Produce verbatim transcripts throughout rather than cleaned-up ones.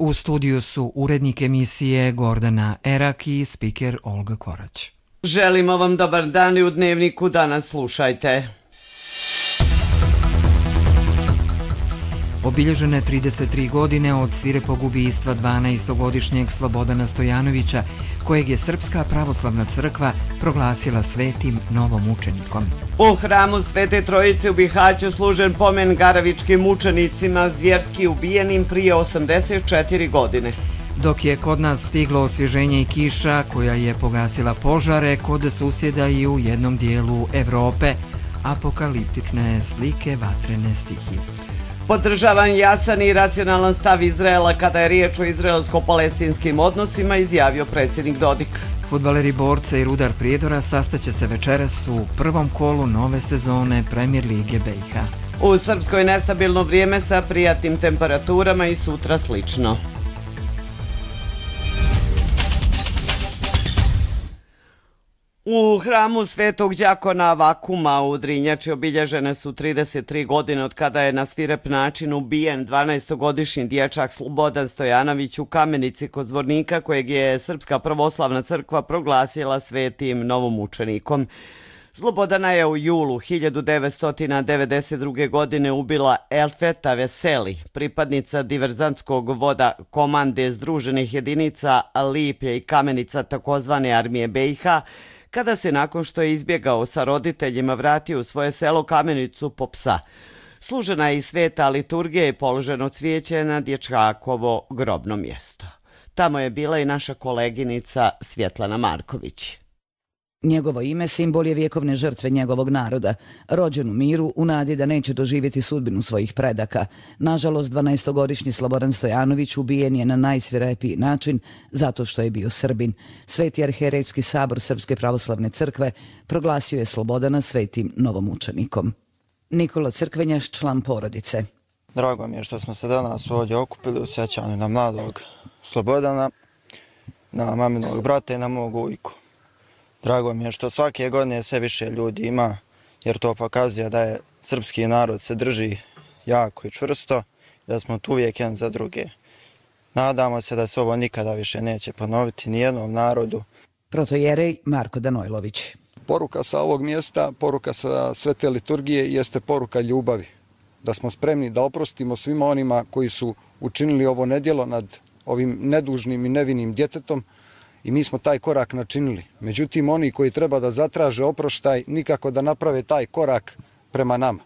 U studiju su urednik emisije Gordana Erak i spiker Olga Korać. Želimo vam dobar dan i u Dnevniku danas slušajte. Obilježene trideset tri godine od svirepog ubistva dvanaestogodišnjeg Slobodana Stojanovića, kojeg je Srpska pravoslavna crkva proglasila svetim novomučenikom. U hramu Svete Trojice u Bihaću služen pomen Garavičkim mučenicima zvjerski ubijenim prije osamdeset četiri godine. Dok je kod nas stiglo osvježenje i kiša koja je pogasila požare kod susjeda i u jednom dijelu Evrope, apokaliptične slike vatrene stihije. Podržavan jasan i racionalan stav Izraela kada je riječ o izraelsko-palestinskim odnosima, izjavio predsjednik Dodik. Fudbaleri Borca i Rudar Prijedora sastaće se večeras u prvom kolu nove sezone Premier lige B i H. U Srpskoj nestabilno vrijeme sa prijatnim temperaturama i sutra slično. U hramu Svetog đakona Vakuma u Drinjači obilježene su trideset tri godine od kada je na svirep način ubijen dvanaestogodišnji dječak Slobodan Stojanović u Kamenici kod Zvornika, kojeg je Srpska pravoslavna crkva proglasila svetim novomučenikom. Slobodana je u julu hiljadu devetsto devedeset druge. godine ubila Elfeta Veseli, pripadnica diverzantskog voda komande Združenih jedinica Lipje i Kamenica takozvane armije B i H, kada se nakon što je izbjegao sa roditeljima vratio u svoje selo Kamenicu po psa. Služena je i sveta liturgija i položeno cvijeće na dječakovo grobno mjesto. Tamo je bila i naša koleginica Svjetlana Marković. Njegovo ime simbol je vjekovne žrtve njegovog naroda, rođen u miru u nadi da neće doživjeti sudbinu svojih predaka. Nažalost, dvanaestogodišnji Slobodan Stojanović ubijen je na najsvirepiji način zato što je bio Srbin. Sveti arhijerejski sabor Srpske pravoslavne crkve proglasio je Slobodana svetim novomučenikom. Nikola Crkvenjaš, član porodice. Drago mi je što smo se danas ovdje okupili u sjećanju na mladog Slobodana, na maminog brata i na mog ujku. Drago mi je što svake godine sve više ljudi ima, jer to pokazuje da je srpski narod se drži jako i čvrsto, da smo tu uvijek jedan za druge. Nadamo se da se ovo nikada više neće ponoviti nijednom narodu. Protojerej Marko Danojlović. Poruka sa ovog mjesta, poruka sa svete liturgije jeste poruka ljubavi. Da smo spremni da oprostimo svima onima koji su učinili ovo nedjelo nad ovim nedužnim i nevinim djetetom, i mi smo taj korak načinili. Međutim, oni koji treba da zatraže oproštaj, nikako da naprave taj korak prema nama.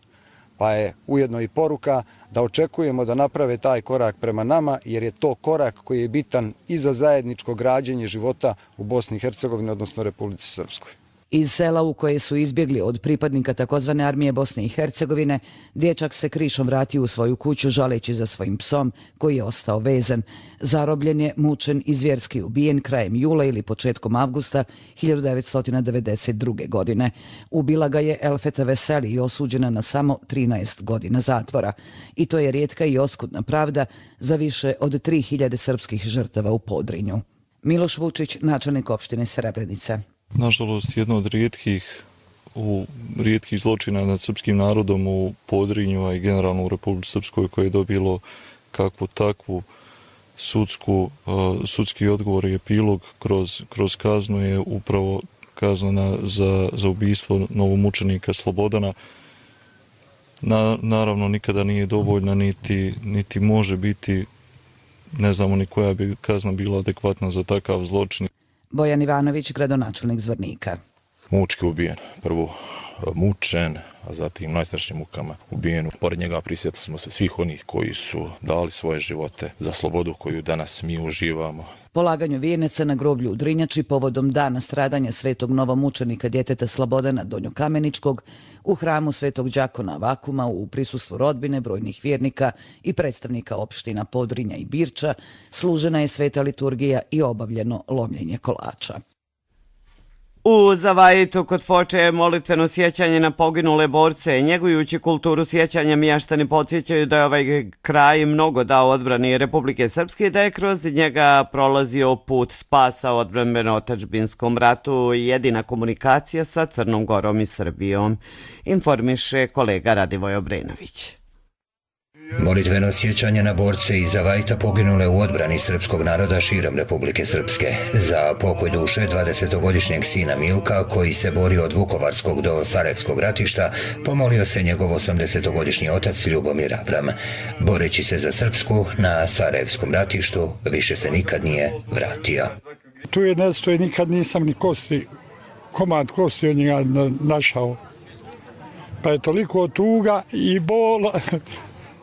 Pa je ujedno i poruka da očekujemo da naprave taj korak prema nama, jer je to korak koji je bitan i za zajedničko građenje života u Bosni i Hercegovini, odnosno Republici Srpskoj. Iz sela u koje su izbjegli od pripadnika takozvane armije Bosne i Hercegovine, dječak se krišom vratio u svoju kuću žaleći za svojim psom koji je ostao vezan. Zarobljen je, mučen i zvjerski ubijen krajem jula ili početkom avgusta hiljadu devetsto devedeset druge. godine. Ubila ga je Elfeta Veseli i osuđena na samo trinaest godina zatvora. I to je rijetka i oskudna pravda za više od tri hiljade srpskih žrtava u Podrinju. Miloš Vučić, načelnik opštine Srebrenica. Nažalost, jedno od rijetkih, u, rijetkih zločina nad srpskim narodom u Podrinju, a i generalno u Republici Srpskoj, koje je dobilo kakvu takvu sudsku, uh, sudski odgovor i epilog kroz, kroz kaznu je upravo kazna za, za ubijstvo novomučenika Slobodana. Na, naravno, nikada nije dovoljna, niti, niti može biti, ne znamo ni koja bi kazna bila adekvatna za takav zločin. Bojan Ivanović, gradonačelnik Zvornika. Mučki ubijen, prvo mučen, a zatim najstrašnijim mukama ubijen. Pored njega prisjetili smo se svih onih koji su dali svoje živote za slobodu koju danas mi uživamo. Polaganju vijenaca na groblju u Drinjači povodom dana stradanja svetog novomučenika djeteta Slobodana Donjokameničkog u hramu Svetog đakona Vakuma u prisustvu rodbine, brojnih vjernika i predstavnika opština Podrinja i Birča služena je sveta liturgija i obavljeno lomljenje kolača. U Zavajitu kod Foče je molitveno sjećanje na poginule borce. Njegujući kulturu sjećanja, mještani podsjećaju da je ovaj kraj mnogo dao odbrani Republike Srpske i da je kroz njega prolazio put spasa odbrambeno-otadžbinskom ratu i jedina komunikacija sa Crnom Gorom i Srbijom, informiše kolega Radivoj Obrenović. Molitveno sjećanje na borce iz Zavajta poginule u odbrani srpskog naroda širom Republike Srpske. Za pokoj duše dvadesetogodišnjeg sina Milka, koji se borio od Vukovarskog do Sarajevskog ratišta, pomolio se njegov osamdesetogodišnji otac Ljubomir Avram. Boreći se za Srpsku na Sarajevskom ratištu, više se nikad nije vratio. Tu je nestoje, nikad nisam ni kosti, komad kosti od njega našao. Pa je toliko tuga i bol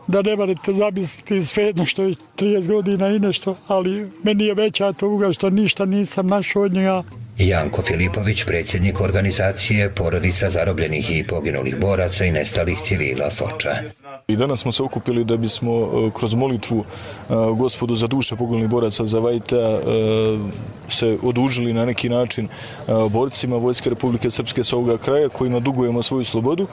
da ne morate zamisliti svejedno što je trideset godina i nešto, ali meni je veća tuga što ništa nisam našao od njega. Janko Filipović, predsjednik organizacije Porodica zarobljenih i poginulih boraca i nestalih civila Foča. I danas smo se okupili da bismo kroz molitvu Gospodu za duše poginulih boraca Zavajta se odužili na neki način borcima Vojske Republike Srpske s ovoga kraja kojima dugujemo svoju slobodu.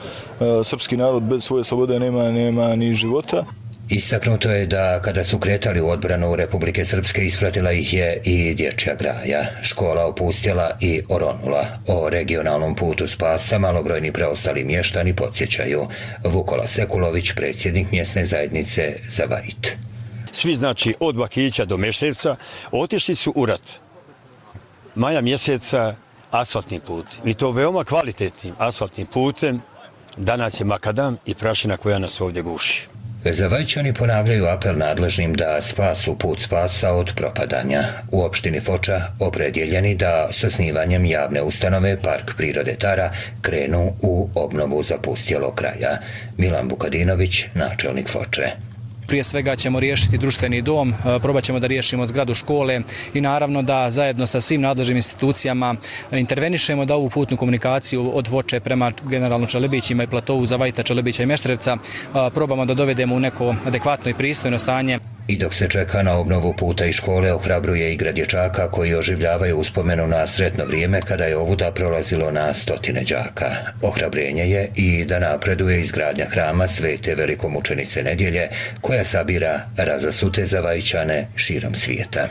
Srpski narod bez svoje slobode nema, nema ni života. Istaknuto je da kada su kretali u odbranu Republike Srpske ispratila ih je i dječja graja. Škola opustjela i oronula. O regionalnom putu spasa malobrojni preostali mještani podsjećaju. Vukola Sekulović, predsjednik mjesne zajednice Zavajt. Svi, znači, od Bakića do Meštevca otišli su u rat. Maja mjeseca asfaltnim putem. I to veoma kvalitetnim asfaltnim putem. Danas je makadam i prašina koja nas ovdje guši. Zavajčani ponavljaju apel nadležnim da spasu put spasa od propadanja. U opštini Foča opredjeljeni da s osnivanjem javne ustanove Park prirode Tara krenu u obnovu zapustjelog kraja. Milan Vukadinović, načelnik Foče. Prije svega ćemo riješiti društveni dom, probat ćemo da riješimo zgradu škole i naravno da zajedno sa svim nadležnim institucijama intervenišemo da ovu putnu komunikaciju od Foče prema generalno Čelebićima i platovu Zavajta, Čelebića i Meštrevca probamo da dovedemo u neko adekvatno i pristojno stanje. I dok se čeka na obnovu puta i škole, ohrabruje igra dječaka koji oživljavaju uspomenu na sretno vrijeme kada je ovuda prolazilo na stotine đaka. Ohrabrenje je i da napreduje izgradnja hrama Svete velikomučenice Nedjelje koja sabira razasute Zavajčane širom svijeta.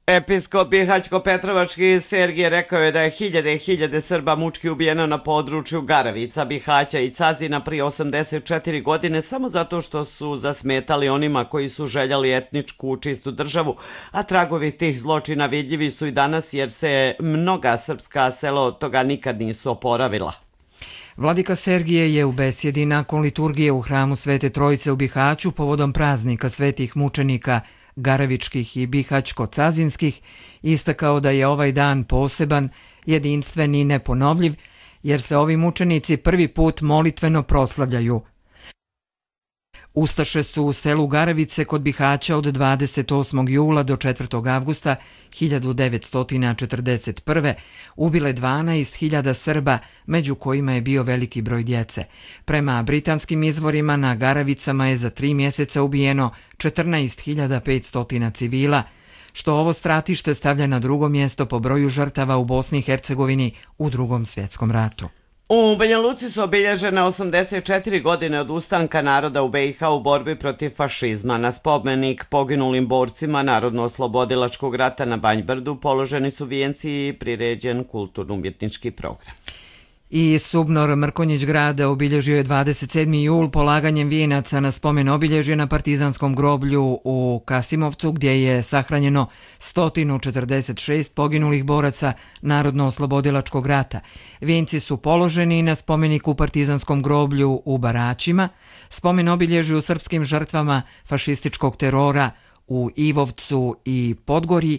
Episkop Bihać-Petrovački Sergije rekao je da je hiljade i hiljade Srba mučki ubijeno na području Garavica, Bihaća i Cazina prije osamdeset četiri godine samo zato što su zasmetali onima koji su željeli etničku čistu državu, a tragovi tih zločina vidljivi su i danas jer se mnoga srpska sela od toga nikad nisu oporavila. Vladika Sergije je u besjedi nakon liturgije u hramu Svete Trojice u Bihaću povodom praznika svetih mučenika Garavičkih i Bihać-Cazinskih istakao da je ovaj dan poseban, jedinstven i neponovljiv, jer se ovi mučenici prvi put molitveno proslavljaju. Ustaše su u selu Garavice kod Bihaća od dvadeset osmog jula do četvrtog avgusta hiljadu devetsto četrdeset prve ubile dvanaest hiljada Srba, među kojima je bio veliki broj djece. Prema britanskim izvorima na Garavicama je za tri mjeseca ubijeno četrnaest hiljada petsto civila, što ovo stratište stavlja na drugo mjesto po broju žrtava u Bosni i Hercegovini u Drugom svjetskom ratu. U Banja Luci su obilježene osamdeset četiri godine od ustanka naroda u B i H u borbi protiv fašizma. Na spomenik poginulim borcima Narodno-oslobodilačkog rata na Banjbrdu položeni su vijenci i priređen kulturno-umjetnički program. I Subnor Mrkonjić grada obilježio je dvadeset sedmi jul polaganjem vijenaca na spomen obilježje na partizanskom groblju u Kasimovcu, gdje je sahranjeno sto četrdeset šest poginulih boraca Narodno-oslobodilačkog rata. Vijenci su položeni na spomeniku partizanskom groblju u Baraćima, spomen obilježju srpskim žrtvama fašističkog terora u Ivovcu i Podgori,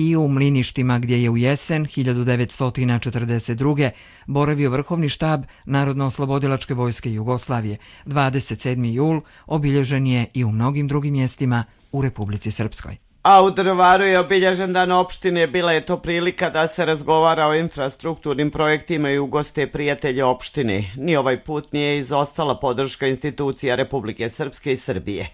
i u Mliništima, gdje je u jesen hiljadu devetsto četrdeset druge boravio vrhovni štab Narodno-oslobodilačke vojske Jugoslavije. dvadeset sedmi jul obilježen je i u mnogim drugim mjestima u Republici Srpskoj. A u Drvaru je obilježen dan opštine, bila je to prilika da se razgovara o infrastrukturnim projektima i ugoste prijatelje opštine. Ni ovaj put nije izostala podrška institucija Republike Srpske i Srbije.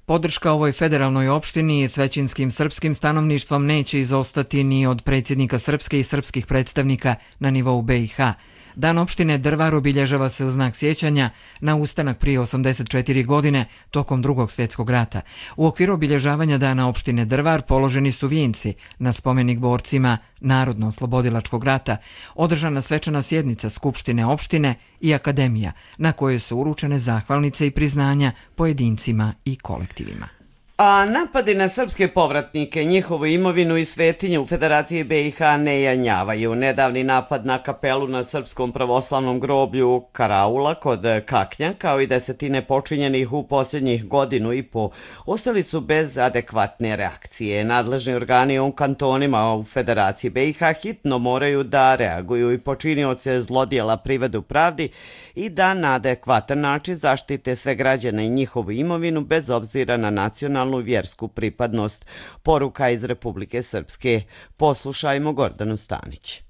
Podrška ovoj federalnoj opštini s većinskim srpskim stanovništvom neće izostati ni od predsjednika Srpske i srpskih predstavnika na nivou B i H. Dan opštine Drvar obilježava se u znak sjećanja na ustanak prije osamdeset četiri godine tokom Drugog svjetskog rata. U okviru obilježavanja Dana opštine Drvar položeni su vijenci na spomenik borcima Narodno-oslobodilačkog rata, održana svečana sjednica Skupštine opštine i akademija na kojoj su uručene zahvalnice i priznanja pojedincima i kolektivima. A napadi na srpske povratnike, njihovu imovinu i svetinju u Federaciji B i H ne janjavaju. Nedavni napad na kapelu na srpskom pravoslavnom groblju Karaula kod Kaknja, kao i desetine počinjenih u posljednjih godinu i po, ostali su bez adekvatne reakcije. Nadležni organi u kantonima u Federaciji B i H hitno moraju da reaguju i počinioce zlodjela privedu pravdi i da na adekvatan način zaštite sve građane i njihovu imovinu bez obzira na nacionalnu i vjersku pripadnost. Poruka iz Republike Srpske. Poslušajmo Gordanu Stanić.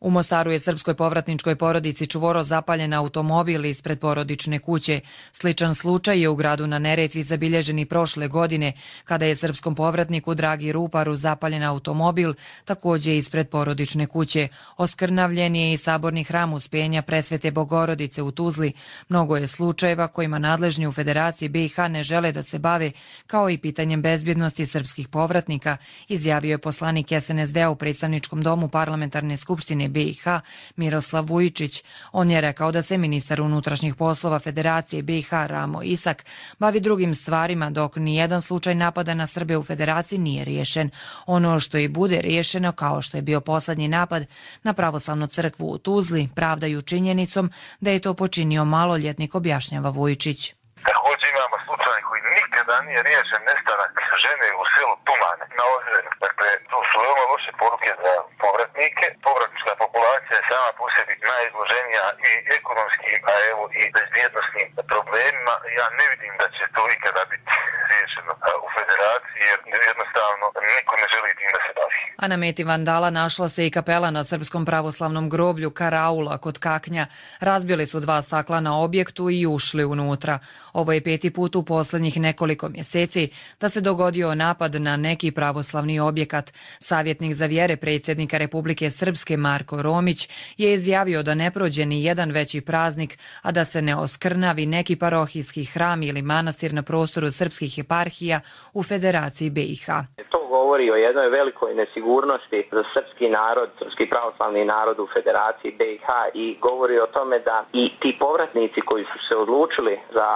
U Mostaru je srpskoj povratničkoj porodici čvoro zapaljen automobil ispred porodične kuće. Sličan slučaj je u gradu na Neretvi zabilježen i prošle godine, kada je srpskom povratniku Dragi Ruparu zapaljen automobil, također ispred porodične kuće. Oskrnavljen je i saborni hram Uspenja Presvete Bogorodice u Tuzli. Mnogo je slučajeva kojima nadležni u Federaciji B i H ne žele da se bave, kao i pitanjem bezbjednosti srpskih povratnika, izjavio je poslanik S N S D-a u predstavničkom domu Parlamentarne skupštine B i H Miroslav Vujičić. On je rekao da se ministar unutrašnjih poslova Federacije B i H Ramo Isak bavi drugim stvarima, dok nijedan slučaj napada na Srbe u Federaciji nije riješen. Ono što i bude riješeno, kao što je bio poslednji napad na pravoslavnu crkvu u Tuzli, pravdaju činjenicom da je to počinio maloljetnik, objašnjava Vujičić. Također imamo slučaj koji nikada nije riješen, nestanak žene u selu Tumane na Ozrenu. Dakle, to su veoma loše poruke za povratnike. Povratnička populacija je sama po sebi najizloženija i ekonomskim, a evo i bezbjednostnim problemima. Ja ne vidim da će to ikada biti riješeno u Federaciji, jer jednostavno niko ne želi tim da se bavi. A na meti vandala našla se i kapela na srpskom pravoslavnom groblju Karaula kod Kaknja. Razbili su dva stakla na objektu i ušli unutra. Ovo je peti put u posljednjih nekoliko mjeseci da se dogodio napad na neki pravoslavni objekat. Savjetnik za vjere predsjednika Republike Srpske Marko Romić je izjavio da ne prođe ni jedan veći praznik, a da se ne oskrnavi neki parohijski hram ili manastir na prostoru srpskih eparhija u Federaciji B i H. To govori o jednoj velikoj nesigurnosti za srpski narod, srpski pravoslavni narod u Federaciji B i H i govori o tome da i ti povratnici koji su se odlučili za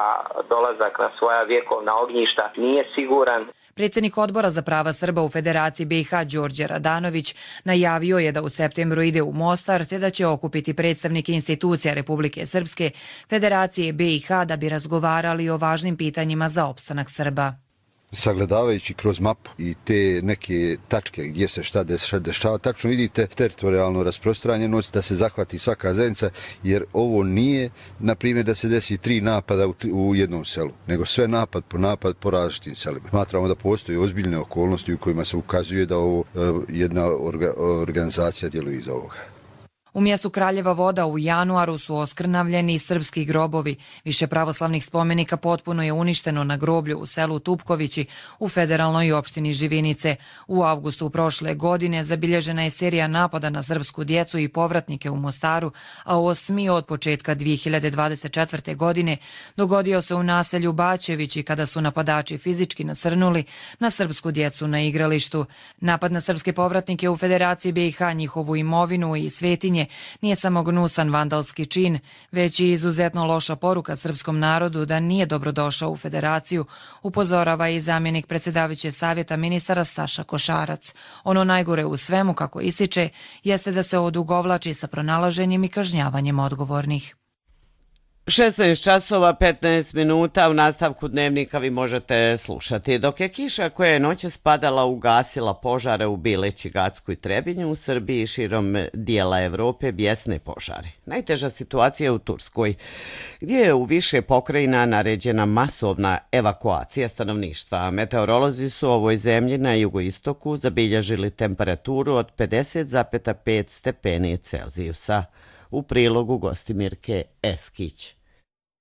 dolazak na svoja vjekovna ognjišta nije siguran. Predsjednik odbora za prava Srba u Federaciji B i H Đorđe Radanović najavio je da u septembru ide u Mostar te da će okupiti predstavnike institucija Republike Srpske, Federacije B i H da bi razgovarali o važnim pitanjima za opstanak Srba. Sagledavajući kroz mapu i te neke tačke gdje se šta dešava, tačno vidite teritorijalnu rasprostranjenost, da se zahvati svaka zajednica, jer ovo nije, na primjer, da se desi tri napada u, u jednom selu, nego sve napad po napad po različitim selima. Smatramo da postoje ozbiljne okolnosti u kojima se ukazuje da ovo jedna orga, organizacija djeluje iza ovoga. U mjestu Kraljeva Voda u januaru su oskrnavljeni srpski grobovi. Više pravoslavnih spomenika potpuno je uništeno na groblju u selu Tupkovići u federalnoj opštini Živinice. U avgustu prošle godine zabilježena je serija napada na srpsku djecu i povratnike u Mostaru, a osmi od početka dvije hiljade dvadeset četvrte. godine dogodio se u naselju Bačevići kada su napadači fizički nasrnuli na srpsku djecu na igralištu. Napad na srpske povratnike u Federaciji B i H, njihovu imovinu i svetinje nije samo gnusan vandalski čin, već i izuzetno loša poruka srpskom narodu da nije dobrodošao u Federaciju, upozorava i zamjenik predsjedavajućeg savjeta ministara Staša Košarac. Ono najgore u svemu, kako ističe, jeste da se odugovlači sa pronalaženjem i kažnjavanjem odgovornih. šesnaest časova petnaest minuta, u nastavku dnevnika vi možete slušati. Dok je kiša koja je noće spadala ugasila požare u Bileći, Gacku i Trebinju, u Srbiji i širom dijela Evrope bijesne požare. Najteža situacija je u Turskoj, gdje je u više pokrajina naređena masovna evakuacija stanovništva. Meteorolozi su u ovoj zemlji na jugoistoku zabilježili temperaturu od pedeset zarez pet stepeni Celzijusa. U prilogu Gostimirke Eskić.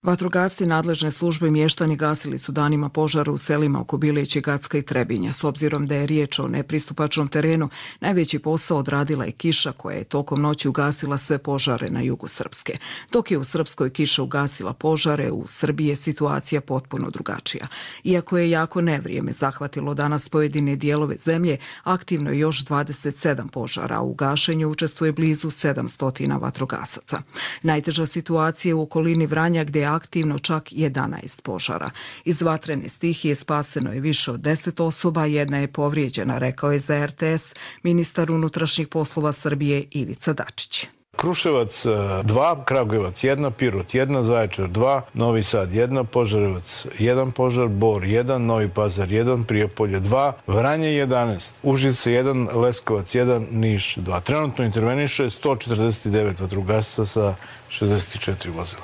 Vatrogasci nadležne službe i mještani gasili su danima požara u selima oko Bileće, Gacka i Trebinja. S obzirom da je riječ o nepristupačnom terenu, najveći posao odradila je kiša koja je tokom noći ugasila sve požare na jugu Srpske. Dok je u Srpskoj kiša ugasila požare, u Srbiji je situacija potpuno drugačija. Iako je jako nevrijeme zahvatilo danas pojedine dijelove zemlje, aktivno je još dvadeset sedam požara, a u gašenju učestvuje blizu sedamsto vatrogasaca. Najteža situacija je u okolini Vranja gdje je aktivno čak jedanaest požara. Iz vatrene stihije spaseno je više od deset osoba, jedna je povrijeđena, rekao je za R T S ministar unutrašnjih poslova Srbije Ivica Dačić. Kruševac dva, Kragujevac jedna, Pirot jedna, Zaječar dva, Novi Sad jedna, Požarevac jedan požar, Bor jedan, Novi Pazar jedan, Prijepolje dva, Vranje jedanaest, Užice jedan, Leskovac jedan, Niš dva. Trenutno interveniše sto četrdeset devet vatrogasaca sa šezdeset četiri vozila.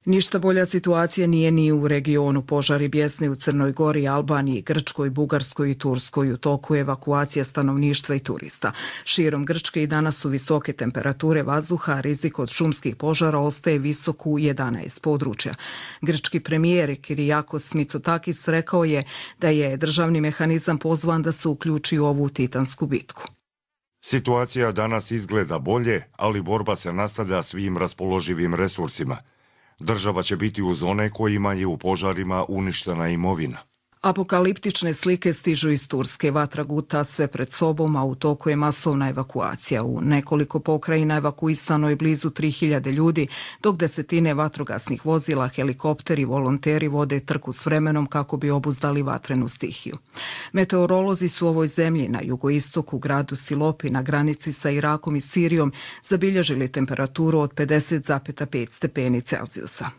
Ništa bolja situacija nije ni u regionu. Požari bjesne u Crnoj Gori, Albaniji, Grčkoj, Bugarskoj i Turskoj. U toku je evakuacija stanovništva i turista. Širom Grčke i danas su visoke temperature vazduha, a rizik od šumskih požara ostaje visok u jedanaest područja. Grčki premijer Kyriakos Mitsotakis rekao je da je državni mehanizam pozvan da se uključi u ovu titansku bitku. Situacija danas izgleda bolje, ali borba se nastavlja svim raspoloživim resursima. Država će biti uz one kojima je u požarima uništena imovina. Apokaliptične slike stižu iz Turske. Vatra guta sve pred sobom, a u toku je masovna evakuacija. U nekoliko pokrajina evakuisano je blizu tri hiljade ljudi, dok desetine vatrogasnih vozila, helikopteri, volonteri vode trku s vremenom kako bi obuzdali vatrenu stihiju. Meteorolozi su u ovoj zemlji na jugoistoku, gradu Silopi, na granici sa Irakom i Sirijom, zabilježili temperaturu od pedeset zarez pet stepeni Celzijusa.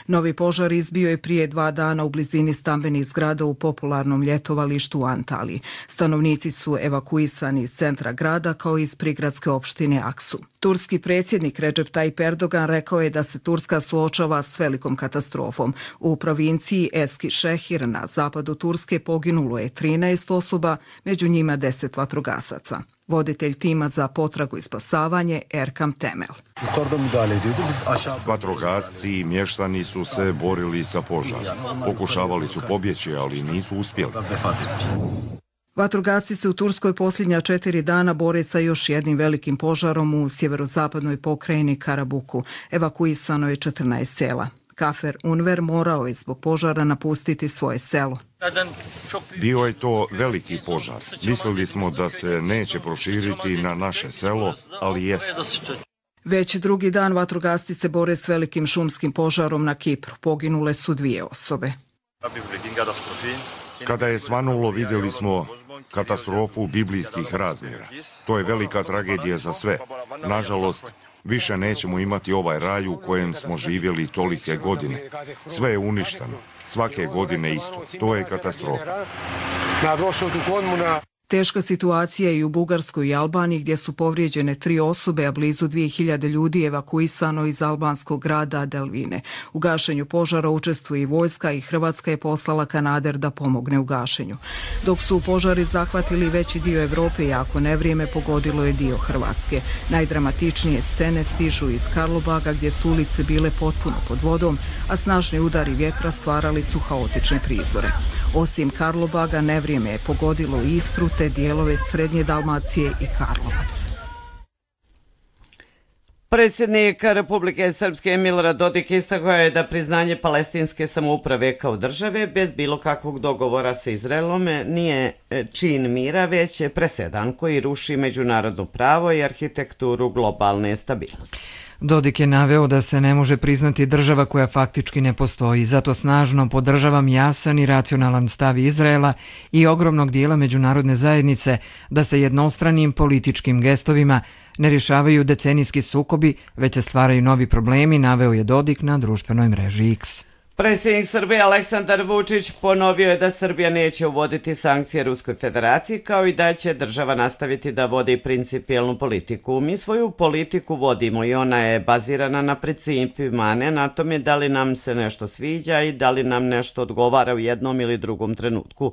Novi požar izbio je prije dva dana u blizini stambenih zgrada u popularnom ljetovalištu u Antaliji. Stanovnici su evakuisani iz centra grada kao i iz prigradske opštine Aksu. Turski predsjednik Recep Tayyip Erdogan rekao je da se Turska suočava s velikom katastrofom. U provinciji Eskişehir na zapadu Turske poginulo je trinaest osoba, među njima deset vatrogasaca. Voditelj tima za potragu i spasavanje Erkam Temel. Vatrogasci i mještani su se borili sa požarom. Pokušavali su pobjeći, ali nisu uspjeli. Vatrogasci se u Turskoj posljednja četiri dana bore sa još jednim velikim požarom u sjeverozapadnoj pokrajini Karabuku. Evakuisano je četrnaest sela. Kafer Unver morao je zbog požara napustiti svoje selo. Bio je to veliki požar. Mislili smo da se neće proširiti na naše selo, ali jeste. Već drugi dan vatrogasci se bore s velikim šumskim požarom na Kipru. Poginule su dvije osobe. Kada je svanulo, vidjeli smo katastrofu biblijskih razmjera. To je velika tragedija za sve. Nažalost, više nećemo imati ovaj raj u kojem smo živjeli tolike godine. Sve je uništeno. Svake godine isto. To je katastrofa. Teška situacija je i u Bugarskoj i Albaniji gdje su povrijeđene tri osobe, a blizu dvije hiljade ljudi evakuisano iz albanskog grada Delvine. U gašenju požara učestvuje i vojska i Hrvatska je poslala kanader da pomogne u gašenju. Dok su požari zahvatili veći dio Evrope, jako nevrijeme pogodilo je dio Hrvatske. Najdramatičnije scene stižu iz Karlobaga gdje su ulice bile potpuno pod vodom, a snažni udari vjetra stvarali su haotične prizore. Osim Karlobaga, nevrijeme je pogodilo i Istru te dijelove Srednje Dalmacije i Karlovac. Predsjednik Republike Srpske Milorad Dodik istakao je da priznanje palestinske samouprave kao države bez bilo kakvog dogovora sa Izraelom nije čin mira, već je presedan koji ruši međunarodno pravo i arhitekturu globalne stabilnosti. Dodik je naveo da se ne može priznati država koja faktički ne postoji, zato snažno podržavam jasan i racionalan stav Izraela i ogromnog dijela međunarodne zajednice da se jednostranim političkim gestovima ne rješavaju decenijski sukobi, već se stvaraju novi problemi, naveo je Dodik na društvenoj mreži X. Predsjednik Srbije Aleksandar Vučić ponovio je da Srbija neće uvoditi sankcije Ruskoj federaciji, kao i da će država nastaviti da vodi principijelnu politiku. Mi svoju politiku vodimo i ona je bazirana na principima, a ne na tome da li nam se nešto sviđa i da li nam nešto odgovara u jednom ili drugom trenutku.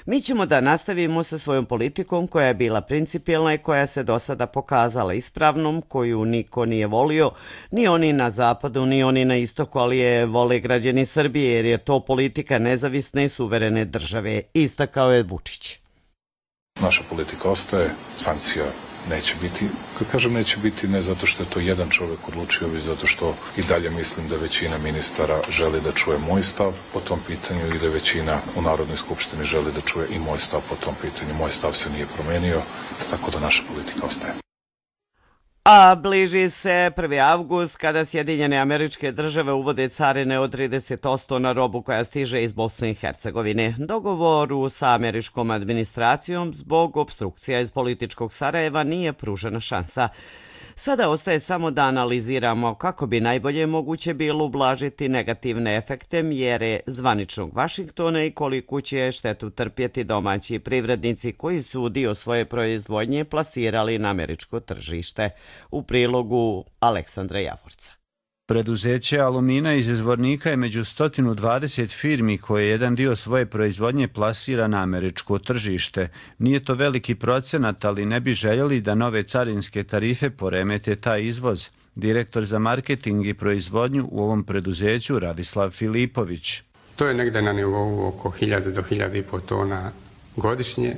Mi ćemo da nastavimo sa svojom politikom koja je bila principijelna i koja se do sada pokazala ispravnom, koju niko nije volio, ni oni na zapadu, ni oni na istoku, ali je vole građani Srbije jer je to politika nezavisne i suverene države, istakao je Vučić. Naša politika ostaje, sankcija neće biti. Kad kažem neće biti, ne zato što je to jedan čovjek odlučio, već zato što i dalje mislim da većina ministara želi da čuje moj stav po tom pitanju i da većina u Narodnoj skupštini želi da čuje i moj stav po tom pitanju. Moj stav se nije promenio, tako da naša politika ostaje. A bliži se prvi avgust kada Sjedinjene Američke Države uvode carine od trideset posto na robu koja stiže iz Bosne i Hercegovine. Dogovoru sa američkom administracijom zbog obstrukcija iz političkog Sarajeva nije pružena šansa. Sada ostaje samo da analiziramo kako bi najbolje moguće bilo ublažiti negativne efekte mjere zvaničnog Vašingtona i koliko će štetu trpjeti domaći privrednici koji su dio svoje proizvodnje plasirali na američko tržište. U prilogu Aleksandra Javorca. Preduzeće Alumina iz Zvornika je među sto dvadeset firmi koje jedan dio svoje proizvodnje plasira na američko tržište. Nije to veliki procenat, ali ne bi željeli da nove carinske tarife poremete taj izvoz. Direktor za marketing i proizvodnju u ovom preduzeću Radislav Filipović. To je negdje na nivou oko hiljadu do hiljadu i pol tona godišnje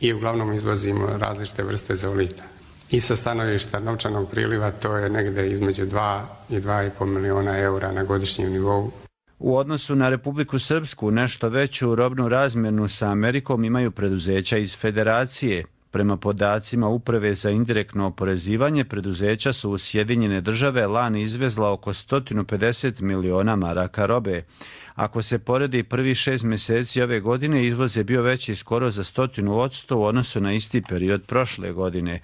i uglavnom izvozimo različite vrste zeolita. I sa stanovišta novčanog priliva to je negdje između dva i dva i pol miliona eura na godišnjem nivou. U odnosu na Republiku Srpsku nešto veću robnu razmjenu sa Amerikom imaju preduzeća iz Federacije. Prema podacima Uprave za indirektno oporezivanje, preduzeća su u Sjedinjene Države lani izvezla oko sto pedeset miliona maraka robe. Ako se poredi prvi šest mjeseci ove godine, izvoz je bio veći skoro za stotinu odsto u odnosu na isti period prošle godine.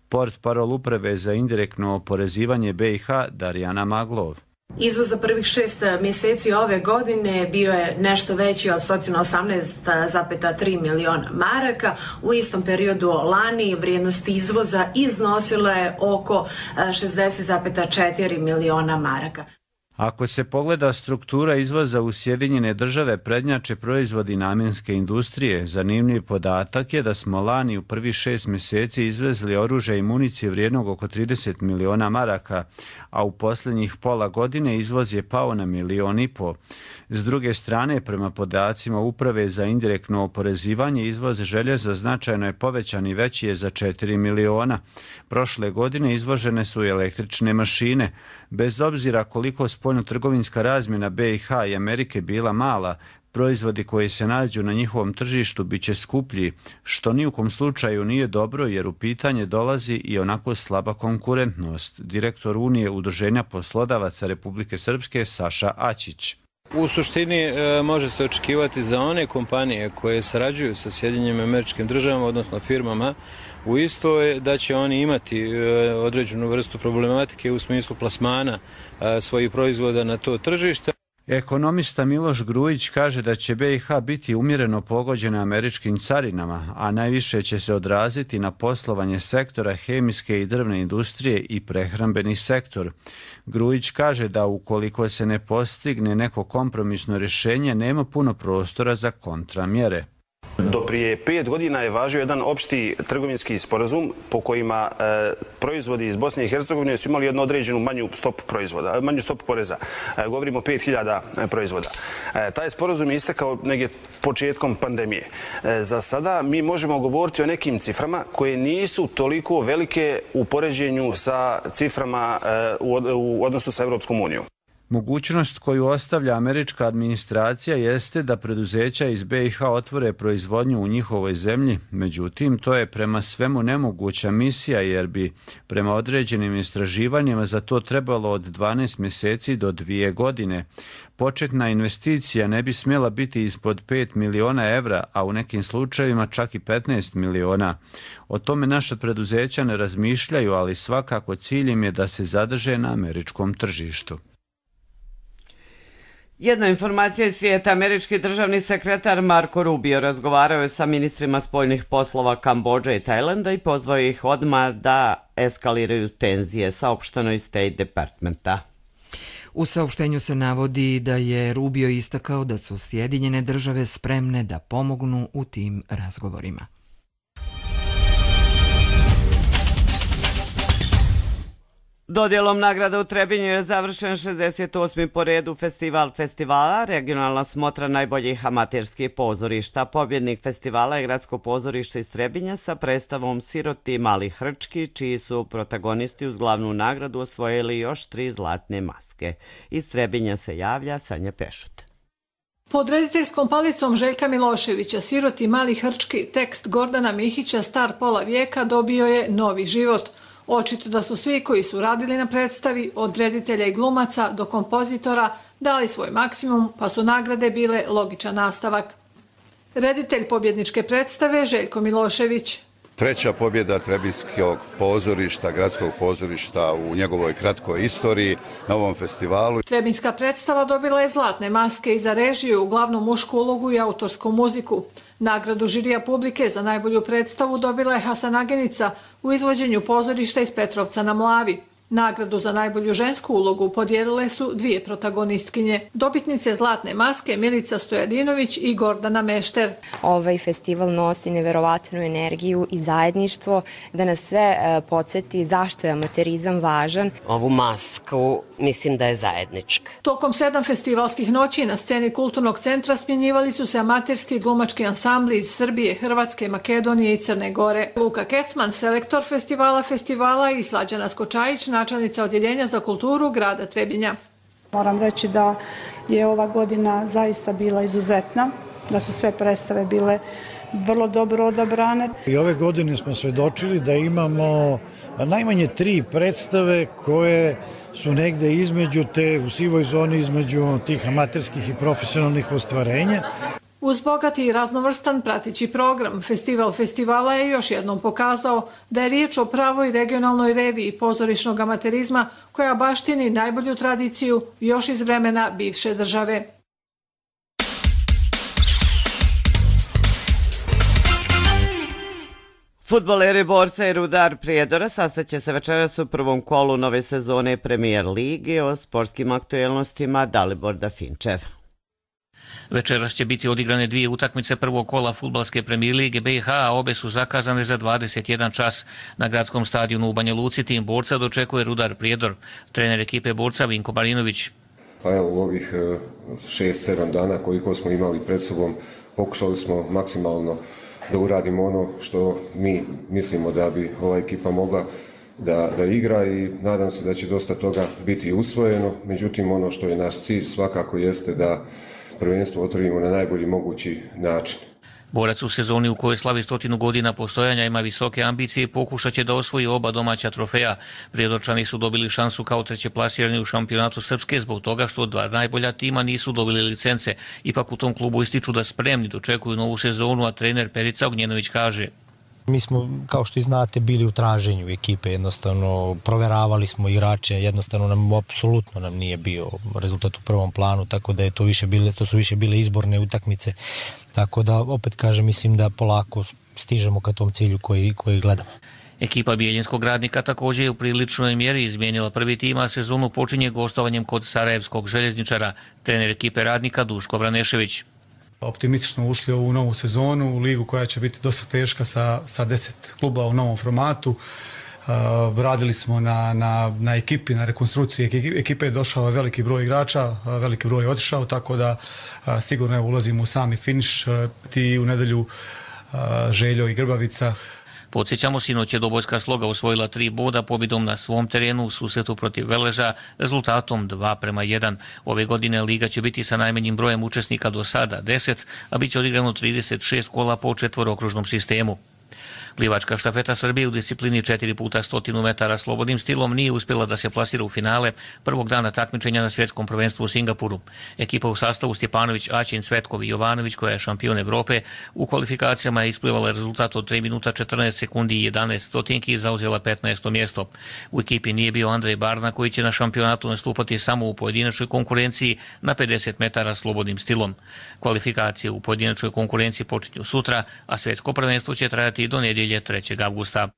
Port parol Uprave za indirektno oporezivanje B i H Darijana Maglov. Izvoz za prvih šest mjeseci ove godine bio je nešto veći od sto osamnaest zarez tri miliona maraka. U istom periodu lani vrijednost izvoza iznosila je oko šezdeset zarez četiri miliona maraka. Ako se pogleda struktura izvoza u Sjedinjene Države, prednjače proizvodi namjenske industrije. Zanimljiv podatak je da smo lani u prvi šest mjeseci izvezli oružja i municije vrijednog oko trideset miliona maraka, a u posljednjih pola godine izvoz je pao na milion i po. S druge strane, prema podacima Uprave za indirektno oporezivanje, izvoz željeza značajno je povećan i veći je za četiri miliona. Prošle godine izvožene su i električne mašine. Bez obzira koliko spoljnotrgovinska razmjena B i H i Amerike bila mala, proizvodi koji se nađu na njihovom tržištu bit će skuplji, što ni u kom slučaju nije dobro jer u pitanje dolazi i onako slaba konkurentnost. Direktor Unije Udruženja poslodavaca Republike Srpske Saša Ačić. U suštini e, može se očekivati za one kompanije koje sarađuju sa Sjedinjenim Američkim Državama, odnosno firmama, u isto je da će oni imati e, određenu vrstu problematike u smislu plasmana e, svojih proizvoda na to tržište. Ekonomista Miloš Grujić kaže da će B i H biti umjereno pogođena američkim carinama, a najviše će se odraziti na poslovanje sektora hemijske i drvne industrije i prehrambeni sektor. Grujić kaže da ukoliko se ne postigne neko kompromisno rješenje, nema puno prostora za kontramjere. Do prije pet godina je važio jedan opšti trgovinski sporazum po kojima e, proizvodi iz Bosne i Hercegovine su imali jednu određenu manju stopu proizvoda, manju stopu poreza. E, govorimo o pet hiljada proizvoda. E, taj sporazum je istekao negdje početkom pandemije. E, za sada mi možemo govoriti o nekim ciframa koje nisu toliko velike u poređenju sa ciframa e, u, u odnosu sa Europskom unijom. Mogućnost koju ostavlja američka administracija jeste da preduzeća iz B i H otvore proizvodnju u njihovoj zemlji, međutim to je prema svemu nemoguća misija jer bi prema određenim istraživanjima za to trebalo od dvanaest mjeseci do dvije godine. Početna investicija ne bi smjela biti ispod pet miliona evra, a u nekim slučajevima čak i petnaest miliona. O tome naša preduzeća ne razmišljaju, ali svakako cilj im je da se zadrže na američkom tržištu. Jedna informacija iz svijeta. Američki državni sekretar Marco Rubio razgovarao je sa ministrima spoljnih poslova Kambodže i Tajlanda i pozvao ih odmah da eskaliraju tenzije, saopšteno iz State Departmenta. U saopštenju se navodi da je Rubio istakao da su Sjedinjene države spremne da pomognu u tim razgovorima. Dodjelom nagrada u Trebinju je završen šezdeset osmi po redu festival festivala, regionalna smotra najboljih amaterskih pozorišta. Pobjednik festivala je gradsko pozorište iz Trebinja sa predstavom Siroti mali hrčki, čiji su protagonisti uz glavnu nagradu osvojili još tri zlatne maske. Iz Trebinja se javlja Sanja Pešut. Pod rediteljskom palicom Željka Miloševića Siroti mali hrčki, tekst Gordana Mihića star pola vijeka, dobio je novi život. Očito da su svi koji su radili na predstavi, od reditelja i glumaca do kompozitora, dali svoj maksimum, pa su nagrade bile logičan nastavak. Reditelj pobjedničke predstave Željko Milošević. Treća pobjeda Trebinskog pozorišta, gradskog pozorišta u njegovoj kratkoj istoriji na ovom festivalu. Trebinska predstava dobila je zlatne maske i za režiju, uglavnom mušku ulogu i autorsku muziku. Nagradu žirija publike za najbolju predstavu dobila je Hasanagenica u izvođenju pozorišta iz Petrovca na Mlavi. Nagradu za najbolju žensku ulogu podijelile su dvije protagonistkinje. Dobitnice zlatne maske Milica Stojadinović i Gordana Mešter. Ovaj festival nosi neverovatnu energiju i zajedništvo da nas sve podsjeti zašto je amaterizam važan. Ovu masku mislim da je zajednička. Tokom sedam festivalskih noći na sceni Kulturnog centra smjenjivali su se amaterski glumački ansambli iz Srbije, Hrvatske, Makedonije i Crne Gore. Luka Kecman, selektor festivala festivala i Slađana Skočajić, načelnica odjeljenja za kulturu grada Trebinja. Moram reći da je ova godina zaista bila izuzetna, da su sve predstave bile vrlo dobro odabrane. I ove godine smo svedočili da imamo najmanje tri predstave koje su negde između te, u sivoj zoni između tih amaterskih i profesionalnih ostvarenja. Uz bogati i raznovrstan prateći program, Festival festivala je još jednom pokazao da je riječ o pravoj regionalnoj reviji pozorišnog amaterizma koja baštini najbolju tradiciju još iz vremena bivše države. Fudbaleri Borca i Rudar Prijedora sastaće se večeras u prvom kolu nove sezone Premijer Lige. O sportskim aktuelnostima Dalibor Dafinčev. Večeras će biti odigrane dvije utakmice prvog kola fudbalske premijer lige B i H, a obe su zakazane za dvadeset jedan čas. Na gradskom stadionu u Banja Luci tim Borca dočekuje Rudar Prijedor. Trener ekipe Borca Vinko Marinović. Pa evo, u ovih šest sedam dana koliko smo imali pred sobom pokušali smo maksimalno da uradimo ono što mi mislimo da bi ova ekipa mogla da, da igra i nadam se da će dosta toga biti usvojeno. Međutim, ono što je naš cilj svakako jeste da prvenstvo otvorimo na najbolji mogući način. Borac u sezoni u kojoj slavi stotinu godina postojanja ima visoke ambicije i pokušat će da osvoji oba domaća trofeja. Prijedorčani su dobili šansu kao treće plasirani u šampionatu Srpske zbog toga što dva najbolja tima nisu dobili licence. Ipak u tom klubu ističu da spremni dočekuju novu sezonu, a trener Perica Ognjenović kaže: Mi smo, kao što i znate, bili u traženju ekipe, jednostavno proveravali smo igrače, jednostavno nam, apsolutno nam nije bio rezultat u prvom planu, tako da je to više bile, to su više bile izborne utakmice, tako da opet kažem, mislim da polako stižemo ka tom cilju koji, koji gledamo. Ekipa Bijeljinskog Radnika također je u priličnoj mjeri izmijenila prvi tim, a sezonu počinje gostovanjem kod Sarajevskog željezničara. Trener ekipe Radnika Duško Vranešević. Optimistično ušli u ovu novu sezonu, u ligu koja će biti dosta teška sa, sa deset kluba u novom formatu. Uh, radili smo na, na, na ekipi, na rekonstrukciji ekipe, je došao veliki broj igrača, uh, veliki broj je otišao, tako da uh, sigurno je, ulazimo u sami finiš. Uh, ti u nedelju uh, Željo i Grbavica. Podsjećamo, sinoć je Dobojska Sloga osvojila tri boda pobjedom na svom terenu u susretu protiv Veleža rezultatom dva prema jedan. Ove godine liga će biti sa najmanjim brojem učesnika do sada deset, a bit će odigrano trideset šest kola po četvorokružnom sistemu. Plivačka štafeta Srbije u disciplini četiri puta stotinu metara slobodnim stilom nije uspjela da se plasira u finale prvog dana takmičenja na svjetskom prvenstvu u Singapuru. Ekipa u sastavu Stjepanović, Aćin, Cvetkovi i Jovanović, koja je šampion Evrope, u kvalifikacijama je isplivala rezultat od tri minuta četrnaest sekundi i jedanaest stotinki i zauzela petnaesto mjesto. U ekipi nije bio Andrej Barna, koji će na šampionatu nastupati samo u pojedinačnoj konkurenciji na pedeset metara slobodnim stilom. Kvalifikacije u pojedinačnoj konkurenciji počinju sutra, a svjetsko prvenstvo će trajati do nedjelje trećeg avgusta.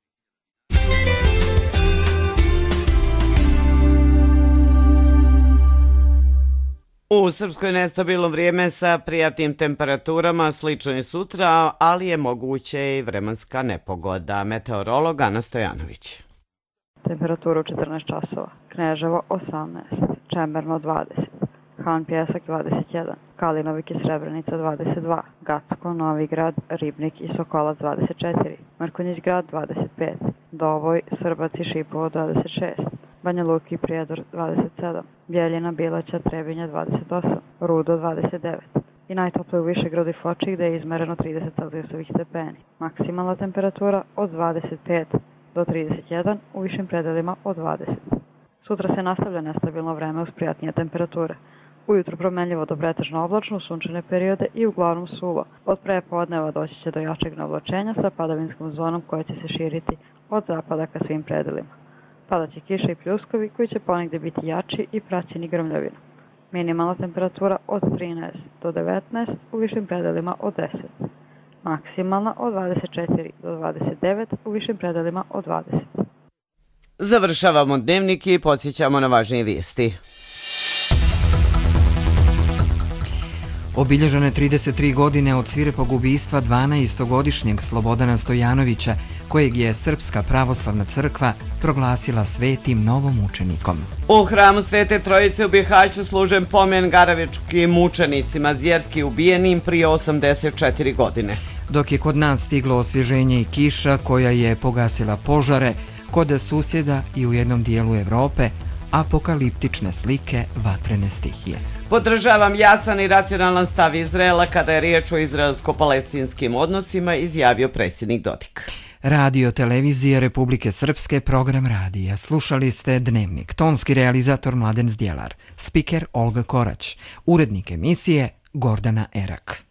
U Srpskoj nestabilno vrijeme sa prijatnim temperaturama, slično i sutra, ali je moguće i vremenska nepogoda. Meteorolog Ana Stojanović. Temperatura u četrnaest časova. Kneževo osamnaest, Čemerno dvadeset, Han Pjesak dvadeset jedan, Kalinovik i Srebrenica dvadeset dva, Gacko, Novi Grad, Ribnik i Sokolac dvadeset četiri, Mrkonjić Grad dvadeset pet, Dovoj, Srbac i Šipovo dvadeset šest, Banja Luka i Prijedor dvadeset sedam, Bjeljina, Bilaća, Trebinja dvadeset osam, Rudo dvadeset devet i najtoplije u Višegradu i Foči gde je izmereno trideset celzijusovih stepeni. Maksimalna temperatura od dvadeset pet do trideset jedan, u višim predelima od dvadeset. Sutra se nastavlja nestabilno vreme uz prijatnije temperature. Ujutro promenljivo do pretežno oblačno, sunčane periode i uglavnom suvo. Od prepodneva doći će do jačeg navlačenja sa padavinskom zonom koja će se širiti od zapada ka svim predelima. Padaće kiša i pljuskovi koji će ponegde biti jači i praćeni grmljavinom. Minimalna temperatura od trinaest do devetnaest, u višim predelima od deset. Maksimalna od dvadeset četiri do dvadeset devet, u višim predelima od dvadeset. Završavamo dnevnik i podsjećamo na važnije vijesti. Obilježene trideset tri godine od svirepog ubistva dvanaestogodišnjeg Slobodana Stojanovića, kojeg je Srpska pravoslavna crkva proglasila svetim novomučenikom. U hramu Svete Trojice u Bihaću služen pomen Garavičkim mučenicima zvjerski ubijenim prije osamdeset četiri godine. Dok je kod nas stiglo osvježenje i kiša koja je pogasila požare, kod susjeda i u jednom dijelu Evrope apokaliptične slike vatrene stihije. Podržavam jasan i racionalan stav Izraela kada je riječ o izraelsko-palestinskim odnosima, izjavio predsjednik Dodik. Radio televizije Republike Srpske, program radija. Slušali ste Dnevnik. Tonski realizator Mladen Zdjelar. Spiker Olga Korać. Urednik emisije Gordana Erak.